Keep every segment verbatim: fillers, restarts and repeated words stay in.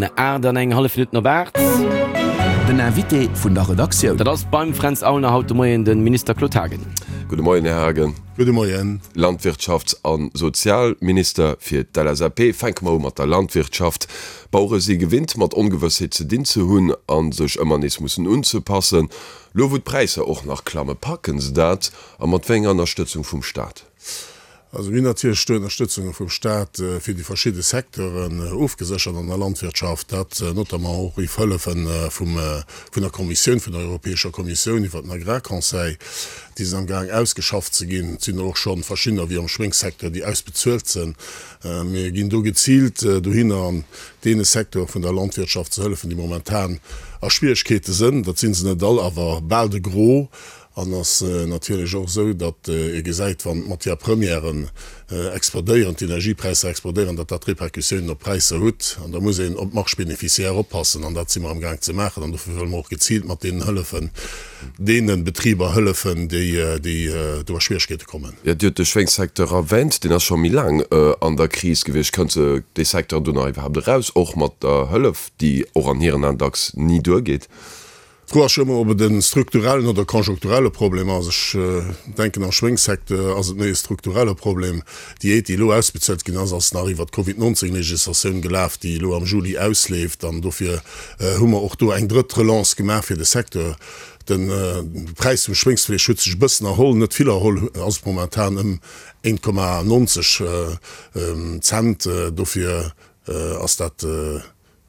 Moien, aacht an eng hallef Minutten op aacht. Den Invité vun der Redaktioun. Dat ass beim Fränz Aulner haut de Moien de Minister Claude Haagen. Gudde Moien, Här Haagen. Gudde Moien. Landwirtschafts a Sozialminister fir d'LSAP. Fänke mer u mat der Landwirtschaft. D'Bauere si gewinnt, mat Ongewëssheet ze dinn ze hunn a sech ëmmer nees mussen unzepassen. Lo wou d'Präisser och nach klamme, packen se dat? A mat wéi enger Ënnerstëtzung vum Staat? Also mir hunn natierlech do Ënnerstëtzunge vum Staat fir déi verschidde Secteuren ofgeséchert an der Landwirtschaft, dat notamment och iwwer Hëllefe vum, vun der Kommissioun, vun der Europäescher Kommissioun iwwer den Agrarconseil, déi sinn amgaang ausgeschafft ze ginn. Et sinn der och scho verschiddener, wéi am Schwéngssecteur, déi ausbezuelt sinn. Mir ginn do geziilt dohinner an deene Secteure vun der Landwirtschaft ze hëllefen, déi momentan a Schwieregkeete sinn. Dat si se net all, awer bal de Gros. An ass natierlech och esou, datt ee gesäit, wann d'Matières premièren explodéieren, d'Energiepräisser explodéieren, datt dat Répercussiounen op d'Präisser hutt. An da muss een op d'Marge bénéficiaire oppassen. An dat si mer amgaang ze maachen. An dofir wëlle mer och geziilt mat deenen hëllefen, deene Betriber hëllefen, déi, déi do a Schwieregkeete kommen. Jo, Dir hutt de Schwéngssecteur erwänt. Deen ass scho méi laang an der Kris gewiescht. Kënnt dee Secteur do nach iwwerhaapt eraus, och mat der Hëllef, déi och an hiren Aen dacks ni duergeet? D'Fro ass jo ëmmer, ob et e strukturellen oder konjunkturelle Problem ass. Ech denken, am Schwéngssecteur ass et méi e strukturelle Problem. Déi Aide, déi elo ausbezuelt ginn ass, ass nach iwwert d'Covid neunzehn Legislatioun gelaf, déi elo am Juli ausleeft. An dofir hu mer och do eng drëtt Relance gemaach fir de Secteur. De Präis vum Schwéngsfleesch huet sech e bëssen erholl, net vill erholl, ass momentan ëm een Komma neunzeg Cent. Dofir ass dat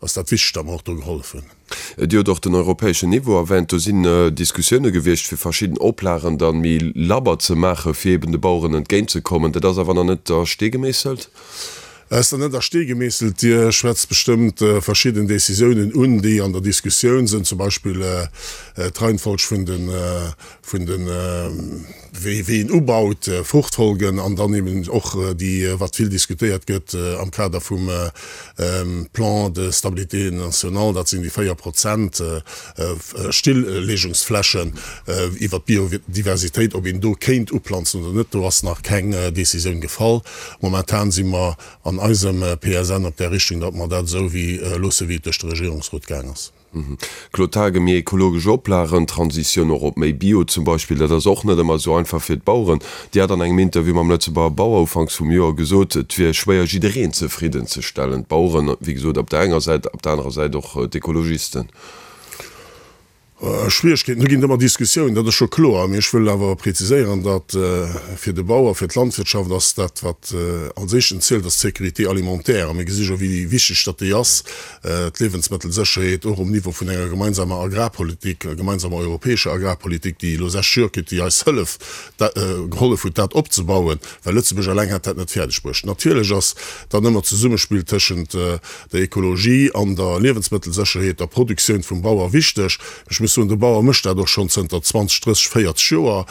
Ass dat wichteg, datt mer och do gehollef hunn. Dir hutt och den europäeschen Niveau erwänt. Do sinn Diskussioune gewiescht, fir verschidden Oplagen da méi labber ze maachen, fir eben de Baueren entgéintzekommen. Dat ass awer nach net a Stee gemeesselt? Ass nach net a Stee gemeesselt. Dir schwätzt bestëmmt verschidden Décisiounen un, déi an der Diskussioun sinn, zum Beispill d'Reihenfolg vun de, vun de, wéi een ubaut, Fruchtfolgen an dann eben och déi, wat vill diskutéiert gëtt am Kader vum Plan de stabilité national, dat sinn déi véier Prozent Stilllegungsflächen iwwert d'Biodiversitéit, ob een do kéint uplanzen oder net. Do ass nach keng Décisioun gefall. Momentan si mer an eisem P S N op där Richtung, datt mer dat esou wéi loosse wéi et duerch de Regierungsrot gaang ass. Claude Haagen, Méi ekologesch Oplagen, Transitioun och op méi Bio zum Beispill, dat ass och net ëmmer esou einfach fir d'Baueren. Dir hat an engem Interview mam Lëtzebuerger Bauer ufanks vum Joer gesot, et wier schwéier jiddereen zefridden ze stellen, d'Baueren wéi gesot op der enger Säit, op der anerer Säit och d'Ekologisten. Schwieregkeeten, do ginn et ëmmer Diskussiounen, dat ass scho kloer. Mee ech wëll awer preziséieren, datt fir de Bauer, fir d'Landwirtschaft ass dat, wat als éischten zielt, ass d'Sécurité alimentaire. A mir gesi jo, wéi wichteg datt déi ass, d'Liewensmëttelsécherheet, och um Niveau vun enger gemeinsamer Agrarpolitik, gemeinsamer europäescher Agrarpolitik, déi elo sechs Joer kritt, déi eis hëllef, gehollef huet, dat opzebauen, well Lëtzebuerg eleng hätt dat net fäerdeg bruecht. Natierlech ass dann ëmmer d'Zesummespill tëschent der Ekologie an der Liewensmëttelsécherheet, der Produktioun vum Bauer wichteg. Ech muss soen, de Bauer mécht dat och schonn zënter zwanzeg, drësseg, véierzeg Joer.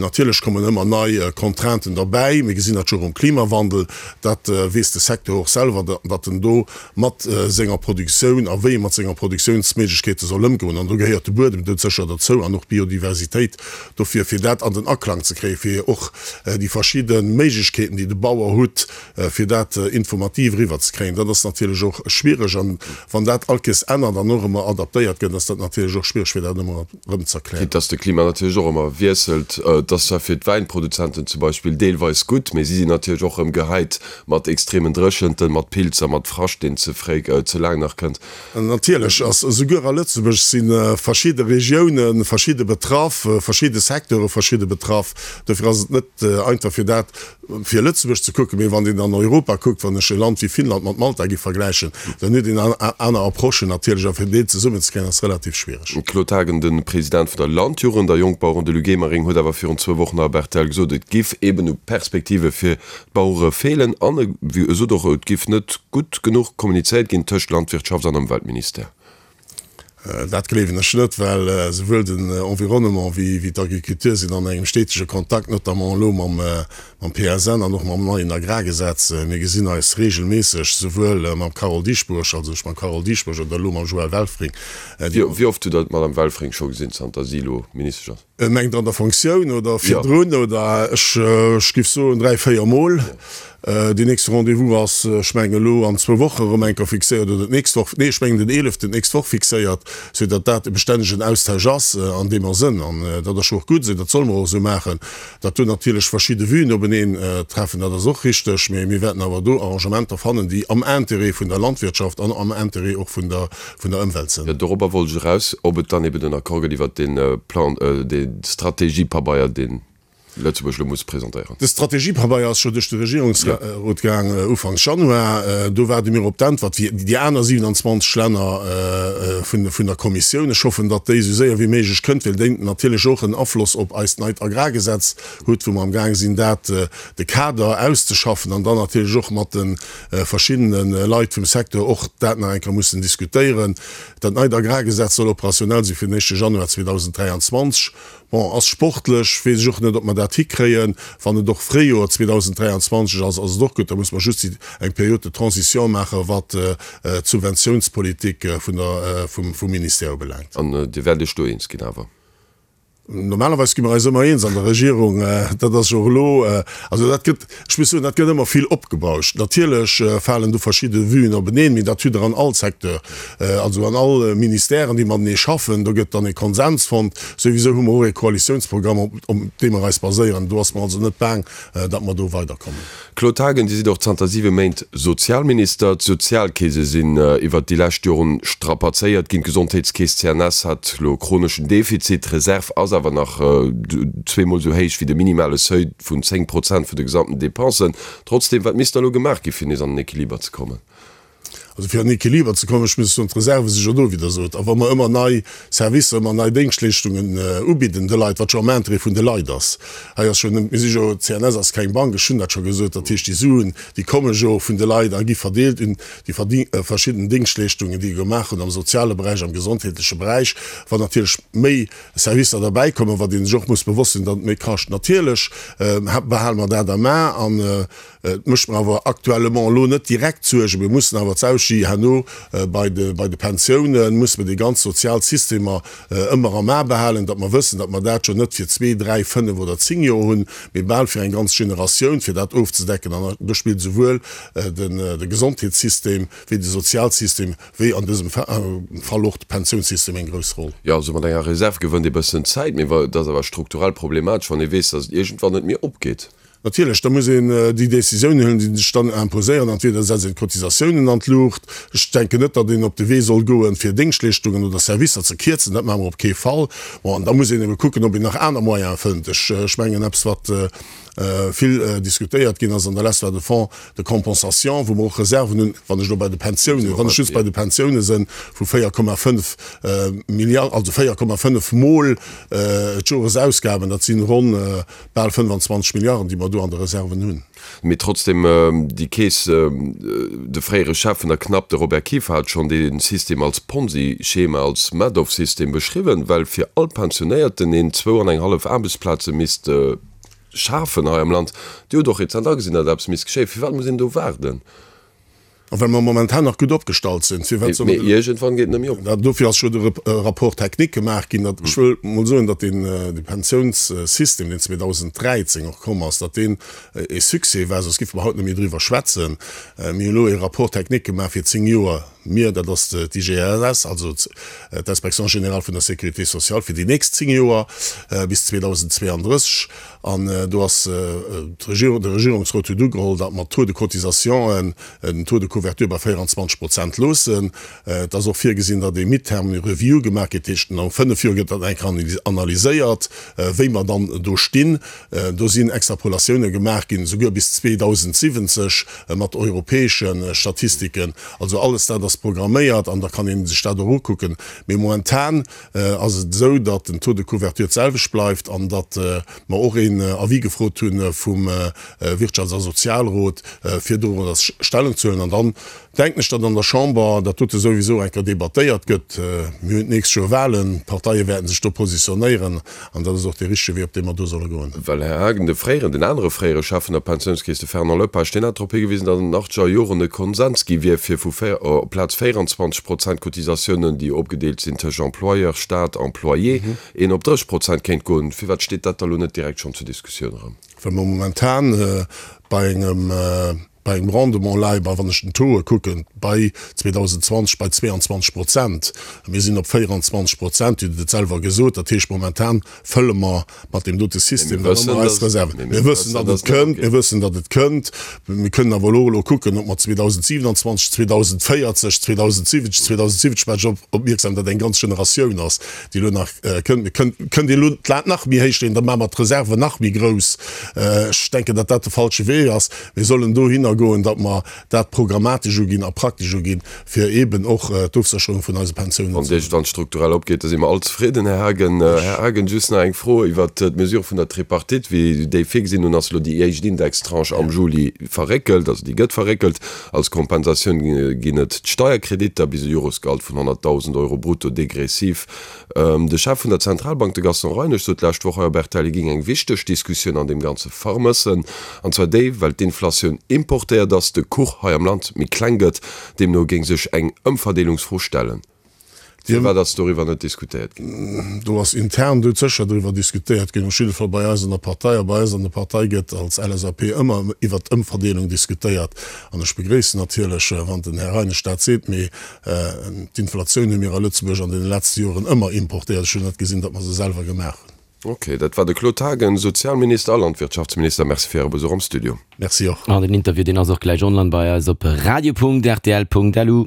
Natierlech kommen ëmmer nei Contrainten derbäi. Mir gesinn dat jo och um Klimawandel. Dat weess de Secteur och selwer, datt en do mat senger Produktioun a wéi e mat senger Produktiounsméiglechkeete soll ëmgoen. An do gehéiert de Buedem doudsécher derzou an och d'Biodiversitéit. Dofir, fir dat an den Aklang ze kréien, fir och déi verschidde Méiglechkeeten, déi de Bauer hutt, fir dat informativ eriwwerzekréien, dat ass natierlech och schwiereg. An wann dat all Kees ännert an och ëmmer adaptéiert gëtt, ass dat natierlech och schwiereg, fir dat ëmmer erëm ze erklären. Quitte dass de Klima natierlech och ëmmer wiesselt. Et ass zwar fir d'Wäinproduzenten zum Beispill deelweis gutt, mee si sinn natierlech och erëm gehäit mat extremen Dréchenten, mat Pilzer, mat Frascht, deen ze fréi, ze laang nach kënnt. Natierlech ass esouguer a Lëtzebuerg si verschidde Regioune verschidde betraff, verschidde Secteure verschidde betraff. Dofir ass et net einfach fir dat fir Lëtzebuerg ze kucken, mee wann een an Europa kuckt, wann ech e Land wéi Finnland mat Malta géif vergläichen, dann huet een aner Approchen natierlech a fir déi zesummenzekréien ass relativ schwiereg. Claude Haagen, de President vun der Landjugend a Jongbaueren, de Luc Emering, huet awer virun zwou Wochen nach op rtl gesot, et giff eben u Perspektive fir d'Bauere feelen an e sot och, et giff net gutt genuch kommunizéiert ginn tëscht Landwirtschaft an Ëmweltministère. Dat gleewen ech net, well esouwuel den Environnement wéi d'Agriculture sinn an engem stetege Kontakt, notamment elo mam P S N an och mam neien Agrargesetz. Mir gesinn eis regelméisseg, esouwuel mam Carole Dieschbourg, also ech mam Carole Dieschbourg oder elo mam Joël Welfring. Wéi oft hutt Der d'Madame Welfring scho gesinn, zanter si elo Ministesch ass? Mengt Der an der Fonctioun oder virdrun oder? Ech géif soen dräi, véier Mol. Deen nächste Rendez-vous ass, ech mengen elo an zwou Woche erëm eng Kéier fixéiert oder d'nächst Woch, nee ech mengen den eeleften d'nächst Woch fixéiert, sou datt dat e bestännegen Austausch ass an deemer Sënn. An dat ass jo och gutt esou, dat solle mer och esou maachen. Datt do natierlech verschidde Vuen openeen treffen, dat ass och richteg, mä mir wäerten awer do Arrangementer fannen, déi am Intérêt vun der Landwirtschaft an am Intérêt och vun der vun der Ëmwelt sinn. Jo, dorobber wollt ech eraus, ob et dann eben en Accord gëtt iwwert dee Plan, dee Strategiepabeier, deen Lëtzebuerg elo muss presentéieren. De Strategiepabeier ass scho duerch de Regierungsrot gaang ufanks Januar. Do waarde mir op d'Äntwert wéi déi aner siewenundzwanzeg Länner vun der Kommissioun. Ech hoffen, datt déi esou séier wéi méiglech kënnt, well déi natierlech och en Afloss op eist neit Agrargesetz huet, wou mer amgaang sinn, dat de Kader auszeschaffen an dann natierlech och mat de verschiddene Leit vum Secteur och dat nach eng Kéier mussen diskutéieren. Dat neit Agrargesetz soll operationell si fir den éischte Januar zweedausenddräianzwanzeg. Bon, ass sportlech, weess ech och net, ob mer dat hikréien. Wann et och Fréijoer zweedausenddräianzwanzeg ass, ass et och gutt. Da muss mer just eng Période de transition maachen, wat d'Subventiounspolitik vun der, vum Ministère ubelaangt. An Dir wäert Iech do eens ginn awer? Normalerweis gi mer eis ëmmer eens an der Regierung. Dat ass jo och elo, also dat gëtt, ech muss soen, dat gëtt ëmmer vill opgebauscht. Natierlech falen do verschidde Vuen openeen, mee dat hutt Der an all Secteur, also an all Ministèren, déi matenee schaffen. Do gëtt dann e Konsens fonnt. Souwisou hu mer och e Koalitiounsprogramm, op deem mer eis baséieren. Do ass mer also net baang, datt mer do weiderkommen. Claude Haagen, Dir sidd och zanter siwe Méint Sozialminister. D'Sozialkeese sinn iwwert déi lescht Joren strapazéiert ginn. D'Gesondheetskeess C N S hat elo e chroneschen Defizit. D'Reserv ass awer nach zweemol esou héich wéi de minimale Seuil vun zéng Prozent vun de gesamten Depensen. Trotzdeem, wat misst da elo gemaach gi fir nees an den Equiliber ze kommen? Also fir an den Equiliber ze kommen, ech muss soen, d'Reserve si jo do, wéi Der sot. A wa mer ëmmer nei Servicer, ëmmer nei Déngschtleeschtungen ubidden de Leit, wat jo am Interêt vun de Leit ass, hei ass jo, mir si jo, d'C N S ass keng Bank, ech hunn dat scho gesot, dat heescht, déi Suen, déi komme jo vun de Leit a gi verdeelt un déi verschidden Déngschtleeschtungen, déi gemaach hunn am soziale Beräich, am gesondheetleche Beräich. Wann natierlech méi Servicer derbäikommen, wat ee sech och muss bewosst sinn, datt et méi kascht, natierlech behale mer dat am A an et mécht mer awer actuellement elo net direkt Suergen. Mir mussen awer d'Auschi herno bei de bei de Pensiounen, musse mer déi ganz sozial Systemer ëmmer am A behalen, datt mer wëssen, datt mer dat jo net fir zwee, dräi, fënnef oder zéng Joer hunn, mee bal fir eng ganz Generatioun, fir dat ofzedecken. An do spillt esouwuel den de Gesondheetssystem wéi de Sozialsystem wéi an dësem Fall och de Pensiounssystem eng grouss Roll. Jo, also mat enger Reserv gewënnt ee bëssen Zäit, mee et ass awer strukturell problematesch, wann ee weess, datt et iergendwann net méi opgeet. Natierlech, da muss een déi Décisiounen huelen, déi sech dann imposéieren. Entweder setzt een d'Cotisatiounen an d'Luucht. Ech denken net, datt een op de Wee soll goen, fir Déngschtleeschtungen oder Servicer ze kierzen. Dat maache mer op kee Fall. Bon, an da muss een ebe kucken, ob een nach aner Moyene fënnt. Ech mengen, eppes, wat vill diskutéiert ginn ass an der Lest, war de Fonds de compensation, wou mer och Reserven hunn, wann ech elo bei de Pensiounen, wann ech just bei de Pensiounen sinn, vu véier Komma fënnef Milliarden, also véier Komma fënnef mol d'Joresausgaben, dat sinn ronn bal fënnefanzwanzeg Milliarden, déi mer do an de Reserven hunn. Mee trotzdem, déi Keess, de fréiere Chef vun der CNAP, de Robert Kieffer, hat schonn dee System als Ponzi-Schema, als Madoff-System beschriwwen, well fir all Pensionéierten een zwou an eng hallef Aarbechtsplaze misst schafen hei am Land. Dir hutt och rezent agesinn, datt eppes misst geschéien. Firwat muss een do waarden? A well mer momentan nach gutt opgestallt sinn, firwat solle mer. Mee iergendwann geet et net méi op. Dofir ass jo de Rapport technique gemaach ginn. Ech wëll mol soen, datt deen Pensiounssystem, deen zweedausenddräizéng och komm ass, datt deen e Succès war, soss géife mer haut net méi driwwer schwätzen. Mir hunn elo e Rapport technique gemaach fir zéng Joer. Mir, dat ass d'I G S S, also d'Inspection générale vun der Sécurité sociale, fir déi nächst zéng Joer bis zweedausendzweeandrësseg. An do ass d'Regierung, de Regierungsrot huet ugeholl, datt mer d'Taux de cotisation, den Taux de couverture bei véieranzwanzeg Prozent loossen. Et ass och virgesinn, datt ee Midterm Review gemaach gëtt, dat heescht no fënnef Joer gëtt dat eng Kéier analyséiert, wéi mer dann do stinn. Do sinn Extrapolatioune gemaach ginn, souguer bis zweedausentsiwwenzeg mat europäesche Statistiken. Also alles dat ass programméiert an da kann ee sech dat och ukucken. Mee momentan ass et esou, datt den Taux de couverture d'selwecht bleift an datt mer och een Avis gefrot hu vum Wirtschafts a Sozialrot, fir dorunner Stellung ze huelen. An dann denken ech, datt an der Chamber dat dote souwisou eng Kéier debattéiert gëtt. Mir hunn d'nächst Joer Wahlen, d'Parteie wäerten sech do positionéieren an dat ass och dee richtege Wee, op dee mer do solle goen. Well, Här Haagen, de fréieren, den anere fréiere Chef vun der Pensiounskeess, de Fernand Lepage, deen hat drop higewisen, datt an den achtzeger Joren e Konsens gi wier, fir vu véier op amplaz véierenzwanzeg Prozent Cotisatiounen, déi opgedeelt sinn tëscht Employeur, Staat, Employé, een op dréisseg Prozent kéint goen. Firwat steet dat da lo net direkt schonn zur Diskussioun erëm? Well mer momentan bei engem bei engem Rendement leie bei, wann ech den Taux kucken, bei zweedausendzwanzeg bei zweeanzwanzeg Prozent. Mir sinn op véierenzwanzeg Prozent, Dir hutt et selwer gesot. Dat heescht, momentan fëlle mer mat deem dote System dann ëmmer eis Reserven. Mir wëssen, datt et kënnt. Mir wëssen, datt et kënnt. Mir kënnen awer elo elo kucken, ob mer zweedausendsiewenanzwanzeg, zweedausendvéierzeg, zweedausensiwwenzeg, zweedausensiwwenzeg, maache ech op opmierksam, datt eng ganz Generatioun ass, déi elo nach kënnt. Mir kënnt, kënnt elo d'Lat nach méi héich leeën, da maache mer d'Reserven nach méi grouss. Ech denken, datt dat de falsche Wee ass. Mir sollen dohinner goen, datt mer dat programmatesch uginn a praktesch uginn, fir eeben och d'Ofsécherung vun eise Pensiounen Wann ze. Wann et strukturell opgeet, da si mer all zefridden, Här Haagen. Här Haagen, just nach eng Fro iwwert d'Mesure vun der Tripartite, wéi déi virgesinn. Nun ass elo déi éischt Indextranche am Juli verréckelt, also déi gëtt verréckelt. Als Kompensatioun ginn et d'Steierkreditter bis e Joresgehalt vun honnertdausend Euro brutto degressiv. De Chef vun der Zentralbank, de Gaston Reinesch, sot d'lescht Woch hei op R T L, hie géing eng wichteg Diskussioun an deem Ganze vermëssen, an zwar déi, well d'Inflatioun importéiert ass, de Kuch hei am Land méi kleng gëtt. Deemno géing sech eng Ëmverdeelungsfro stellen. Firwat ass doriwwer net diskutéiert ginn? Do ass intern doudsécher driwwer diskutéiert ginn, op jidde Fall bei eis an der Partei. A bei eis an der Partei gëtt als L S A P ëmmer iwwert d'Ëmverdeelung diskutéiert. An ech begréissen natierlech, wann den Här Reinesch dat seet. Mee d'Inflatioun hu mir a Lëtzebuerg an deene letzte Joren ëmmer importéiert. Ech hunn net gesinn, datt mer se selwer gemaach hunn. Ok, dat war de Claude Haagen, Sozialminister a Landwirtschaftsminister. Merci fir Äre Besuch am Studio. Merci och. An den Interview, deen ass och gläich online bei eis op radio punkt rtl punkt lu.